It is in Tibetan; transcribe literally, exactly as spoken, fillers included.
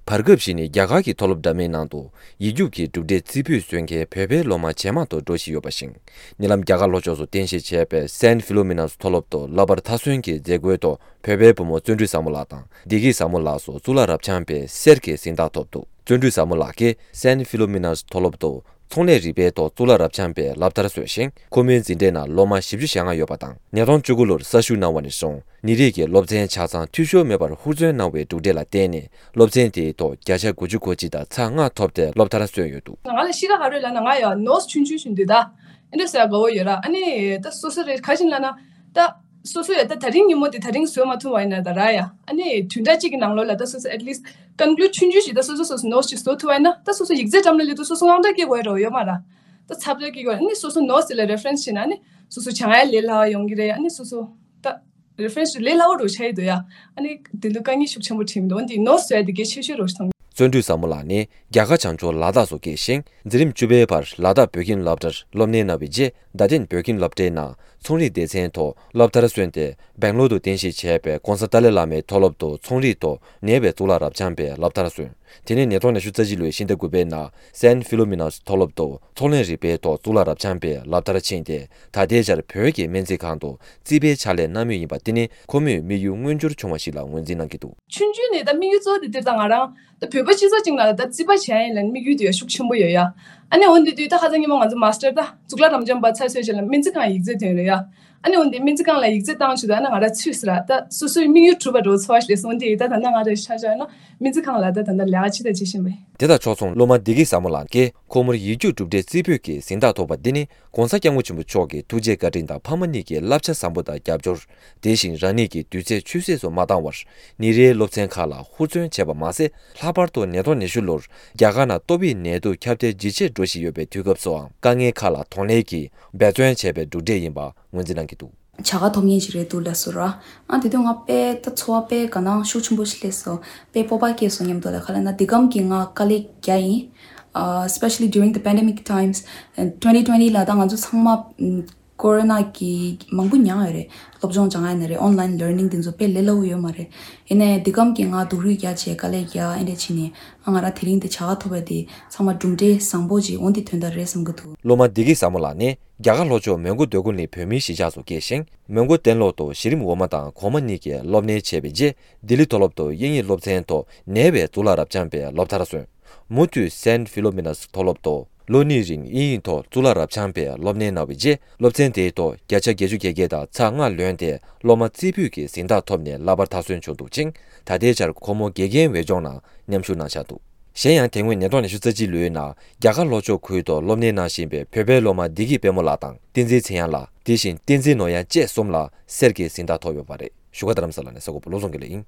བར་སྐབས་ཤིག་ནས་རྒྱ་གར་གྱི་མཐོ་སློབ་འདྲ་མིན་ནང་དུ་ཡིག་རྒྱུགས་ཀྱི་གྲུབ་འབྲས་རྩིས་སྤྲོད་སོན་མཁན་བོད་པའི་སློབ་མ་ཇེ་མང་དུ་འགྲོ་བཞིན་ཡོད་པ་བཞིན། ཉེ་ལམ་རྒྱ་གར་ལྷོ་ཕྱོགས་སུ་རྟེན་གཞི་བྱས་པའི་སན་ཕི་ལོ་མི་ནཱས་མཐོ་སློབ་ཏུ་བསླབ་པར་མཐར་སོན་གྱི་མཛད་སྒོའི་ཐོག་བོད་པའི་བུ་མོ་བརྩོན་འགྲུས་བཟང་མོ་ལགས་དང་བདེ་སྐྱིད་བཟང་མོ་ལགས་སུ་གཙུག་ལག་རབ་འབྱམས་པའི་གསེར་གྱི་གཟེངས་རྟགས་ཐོབ་འདུག་བརྩོན་འགྲུས་བཟང་མོ་ལགས་ཀྱིས་སན་ཕི་ལོ་མི་ནཱས་མཐོ་སློབ་ཏུ་ཚོང་ལས་རིག་པའི་ཐོག་གཙུག་ལག་རབ་འབྱམས་པའི་སློབ་མཐར་སོན་ཞིང་། ཁོ་མོའི་འཛིན་གྲྭའི་ནང་སློབ་མ་བཞི་བཅུ་ཞེ་ལྔ་ཡོད་པ་དང་། ཉིས་སྟོང་བཅུ་དགུ་ལོར་གསར་ཞུགས་གནང་བ་ནས་བཟུང་ནད་རིགས་ཀྱི་སློབ་ཚན་ཆ་ཚང་འཐུས་ཤོར་མེད་པར་ཧུར་བརྩོན་གནང་བའི་གྲུབ་འབྲས་ལ་བརྟེན་ནས། སློབ་ཚན་དེའི་ཐོག་བརྒྱ་ཆ་དགུ་བཅུ་གོ་གཅིག་དང་ཚེག་ལྔ་ཐོབ་སྟེ་སློབ་མཐར་སོན་ཡོད་འདུག་ང་ལ་ཤི་ཁ་ག་རེ་ལབ་ན། ང་ཡང་ནོ་སི་ཆུང་ཆུང་ཞིག་འདུག་ད། ཨ་འདྲ་ཟེར་དགའ་བོ་ཡོད་ར། ཨ་ནི་ད་སོ་སོ་རེད། ག་ཞིག་ལབ་ན་ད། སོ་སོ་ཡ་ད་དེ་རིང་ཉིན་མོ་དེ་དེ་རིང་བཟོ་མ་ཐུབ་པ་ཡིན་ན་ད་ར་ཡ། ཨ་ནི་བདུན་ཕྲག་གཅིག་གི་ནང་ལོགས་ལ་ད་སོ་སོ་at least conclude་ཆུང་ཆུང་ཞིག་ད་སོ་སོ་སོ་སོ་ནོ་སི་ཅིག་བཟོ་ཐུབ་པ་ཡིན་ན། ད་སོ་སོ་ཡིག་ཚད་འགྲམ་ལ་སླེབས་དུས་སོ་སོ་དངངས་སྐྲག་སྐྱེ་དགོས་ཡ་འདྲ་བོ་ཡོད་མ་ར། ད་ཚ་དྲོད་སྐྱེ་དགོས་ཡ། ཨ་ནི་སོ་སོ་ནོ་སི་དེ་ལ་རེ་ཕ་རེན་སི་བྱས་ན་ཨ་ནི་སོ་སོ་སྦྱང་ཡ་ལས་སླ་བ་ཡོང་གི་རེད། ཨ་ནི་སོ་སོ་ད་རེ་ཕ་རེན་སི་ལས་སླ་བོ་འདྲ་བོ་ཆགས་ཀྱི་འདུག་ཡ། ཨ་ནི་དེ་ལ་དཀའ་ངལ་ཤུགས་ཆེན་པོ་འཕྲད་མི་འདུག་འོན་ཏེ་ནོ་སི་བཟོ་ཡ་དེ་གལ་ཆེ་ཤོས་འདྲ་བོ་ཞིག་མཐོང་གི། བརྩོན་འགྲུས་བཟང་མོ་ལགས་ནི་རྒྱ་གར་བྱང་ཕྱོགས་ལ་དྭགས་སུ་སྐྱེས་ཤིང་། འཛིན་རིམ་བཅུ་པའི་བར་ལ་དྭགས་བོད་ཁྱིམ་སློབ་གྲྭར་སློབ་གཉེར་གནང་བའི་རྗེས། རྡ་སྟེང་བོད་ཁྱིམ་སློབ་གྲྭའི་ནང་ཚོང་རིག་སྡེ་ཚན་ཐོག་སློབ་མཐར་སོན་ཏེ། སྦེང་ལོར་དུ་རྟེན་གཞི་བྱས་པའི་ྋགོང་ས་ཏཱ་ལའི་བླ་མའི་མཐོ་སློབ་ཏུ་ཚོང་རིག་ཐོག་ནེ་པའི་གཙུག་ལག་རབ་འབྱམས་པའི་སློབ་མཐར་སོན། དེ་ནས་ཉིས་སྟོང་ཉི་ཤུ་རྩ་གཅིག་ལོའི་ཕྱི་ཟླ་དགུ་པའི་ནང་སན་ཕི་ལོ་མི་ནཱས་མཐོ་སློབ་ཏུ་ཚོང་ལས་རིག་པའི་ཐོག་གཙུག་ལག་རབ་འབྱམས་པའི་སློབ་མཐར་ཕྱིན་ཏེ། ད་ལྟའི་ཆར་བོད་ཀྱི་སྨན་རྩིས་ཁང་དུ་རྩིས་པའི་ཕྱག་ལས་གནང་མུས་ཡིན་པ། དེ་ནི་ཁོ་མོའི་དམིགས་ཡུལ་མངོན་འགྱུར་བྱུང་བ་ཞིག་ལ་ངོས་འཛིན་གནང་གི་འདུག་ཆུང་ཆུང་ནས་ད་དམིགས་ཡུལ་གཙོ་བོ་དེ་འདིར་ད་ང་རང་ད་བོད་པ་སྤྱི་ཚོགས་ཅིག་ནང་ལ་ད་རྩིས་པ་བྱས་ཡིན་ལ་དམིགས་ཡུལ་དེ་ཡང་ཤུགས་ཆེན་པོ་ཡོད་ཡ། ཨ་ནི་འོན་ཏེ་དུས་ད་ཁ་སང་ཉིན་མོ་ང་ཚོ་མ་སི་ཊར་ད་གཙུག་ལག་རབ་འབྱམས་པ་ཚར་སོང་རྗེས་ལ་སྨན་རྩིས་ཁང་ཡིག་ཚད་ཐོན་རེད་ཡ། ཨ་ནི་འོན་ཏེ་སྨན་རྩིས་ཁང་ལ་ཡིག་ཚད་བཏང་བྱུང་དུས་ཨ་ནི་ང་རང་ཚུད་སོང་ར། ད་སོ་སོའི་དམིགས་ཡུལ་གྲུབ་པ་འདྲ་བོ་ཚོར་བ་ཞིག་སླེབས་སོང་། འོན་ཏེ་ད་ད་ལྟ་ང་རང་ཆ་བཞག་ན་སྨན་རྩིས་ཁང་ལ་ད་ད་ལྟ་ལས་ཀ་ཅི་ད་བྱེད་བཞིན་པ་ཡིན། དེ་དང་ཕྱོགས་མཚུངས་སློབ་མ་བདེ་སྐྱིད་བཟང་མོ་ལགས་ཀྱིས་ཁོ་མོར་ཡིག་རྒྱུགས་གྲུབ་འབྲས་རྩིས་འབུལ་གྱི་གཟེངས་རྟགས་ཐོབ་པ་འདི་ནི་༧གོང་ས་༧སྐྱབས་མགོན་ཆེན་པོ་མཆོག་གི་ཐུགས་རྗེ་བཀའ་དྲིན་དང་ཕ་མ་གཉིས་ཀྱི་བསླབ་བྱ་བཟང་པོ་དང་རྒྱབ་སྐྱོར། དེ་བཞིན་རང་ཉིད་ཀྱི་དུས་ཚོད་ཆུད་ཟོས་སུ་མ་བཏང་བར་ཉིན་རེའི་སློབ་ཚན་ཁག་ལ་ཧུར་བརྩོན་བྱས་པ་མ་ཟད། ལྷག་པར་དུ་ཉིས་སྟོང་ཉི་ཤུ་ལོར་རྒྱ་གར་ནང་ཏོག་དབྱིབས་ནད་དུག་ཁྱབ་གདལ་ཇེ་ཆེར་འགྲོ་བཞིན་ཡོད་པའི་དུས་སྐབས་སུའང་དཀའ་ངལ་ཁག་ལ་གདོང་ལེན་གྱིས་འབད་བརྩོན་བྱས་པའི་གྲུབ་འབྲས་ཡིན་པ་ངོས་འཛིན་གནང་གི་འདུག་བྱ་དགའ་ཐོབ་མཁན་ཞིག་རེད་འདུག་ལབ་སོང་ར། ཨ་དེ་དུས་ང་དཔེ་ད་ཚོར་བ་དཔེ་དགའ་སྣང་ཤུགས་ཆེན་པོ་ཞིག་སླེབས་སོང་། དཔེ་སྤོབས་པ་སྐྱེས་སོང་སྙམ་དུ་ལ། ག་ལབ་ན་འདི་གམ་གྱི་ང་དཀའ་ལས་རྒྱག་ཡིན། Uh, especially during the pandemic times, and twenty twenty ལ་ད་ང་ཚོ་ཚང་མ་ཀོ་རོ་ན་གི་མང་པོ་མྱངས་ཡོད་རེད། སློབ་སྦྱོང་སྦྱང་ཡ་ན་རེད། online learning འདི་ཚོ་དཔེ་ལས་སླ་བོ་ཡོད་མ་རེད། ཡིན་ནའི་འདི་གམ་གྱི་ང་སྡུག་རུས་རྒྱག་བྱས་དཀའ་ལས་རྒྱག་ཨེ་འདྲ་བྱས་ནས། ཨ་ང་རང་དེ་རིང་འདི་བྱ་དགའ་ཐོབ་པ་འདི་ཚང་མ་གྲུབ་འབྲས་བཟང་པོ་ཅིག་འོང་འདི་དོན་དག་རེད་བསམ་གྱི་འདུག་སློབ་མ་བདེ་སྐྱིད་བཟང་མོ་ལགས་ནི་རྒྱ་གར་ལྷོ་ཕྱོགས་མོན་གྷོ་སྡོད་གུར་གླིང་བོད་མིའི་གཞིས་ཆགས་སུ་སྐྱེས་ཤིང་། མོན་གྷོ་སྟེང་ལོག་ཏུ་གཞི་རིམ་འོག་མ་དང་གོང་མ་གཉིས་ཀྱི་སློབ་གཉེར་བྱས་པའི་རྗེས། ལྡི་ལི་མཐོ་སློབ་ཏུ་དབྱིན་ཡིག་སློབ་ཚན་ཐོག་ནེ་པའི་གཙུག་ལག་རབ་འབྱམས་པའི་སློབ་མཐར་སོན། མུ་མཐུད་སན་ཕི་ལོ་མི་ནཱས་མཐོ་སློབ་ཏུ་ལོ་གཉིས་རིང་དབྱིན་ཡིག་ཐོག་གཙུག་ལག་རབ་འབྱམས་པའི་སློབ་གཉེར་གནང་བའི་རྗེས། སློབ་ཚན་དེའི་ཐོག་བརྒྱ་ཆ་བརྒྱད་ཅུ་གྱ་བརྒྱད་དང་ཚེག་ལྔ་ལོན་ཏེ། སློབ་མ་རྩིས་འབུལ་གྱི་གཟེངས་རྟགས་ཐོབ་ནས་བསླབ་པར་མཐར་སོན་བྱུང་འདུག་ཅིང་། ད་ལྟའི་ཆར་ཁོ་མོ་དགེ་རྒན་འོས་སྦྱོང་ནང་མཉམ་ཞུགས་གནང་འཆར་འདུག་གཞན་ཡང་དེ་སྔོན་ཉིས་སྟོང་ཉི་ཤུ་རྩ་གཅིག་ལོའི་ནང་རྒྱ་གར་ལྷོ་ཕྱོགས་ཁུལ་དུ་སློབ་གཉེར་གནང་བཞིན་པའི་བོད་པའི་སློབ་མ་བདེ་སྐྱིད་དཔལ་མོ་ལགས་དང་། བསྟན་འཛིན་ཚེ་དབྱངས་ལགས། དེ་བཞིན་བསྟན་འཛིན་ནོར་དབྱངས་བཅས་གསུམ་ལ་གསེར་གྱི་གཟེངས་རྟགས་ཐོབ་ཡོད་པ་རེད། བཞུགས་སྒར་རྡ་རམ་ས་ལ་ནས་གསར་འགོད་པ་བློ་བཟང་དགེ་ལེགས་ཡིན།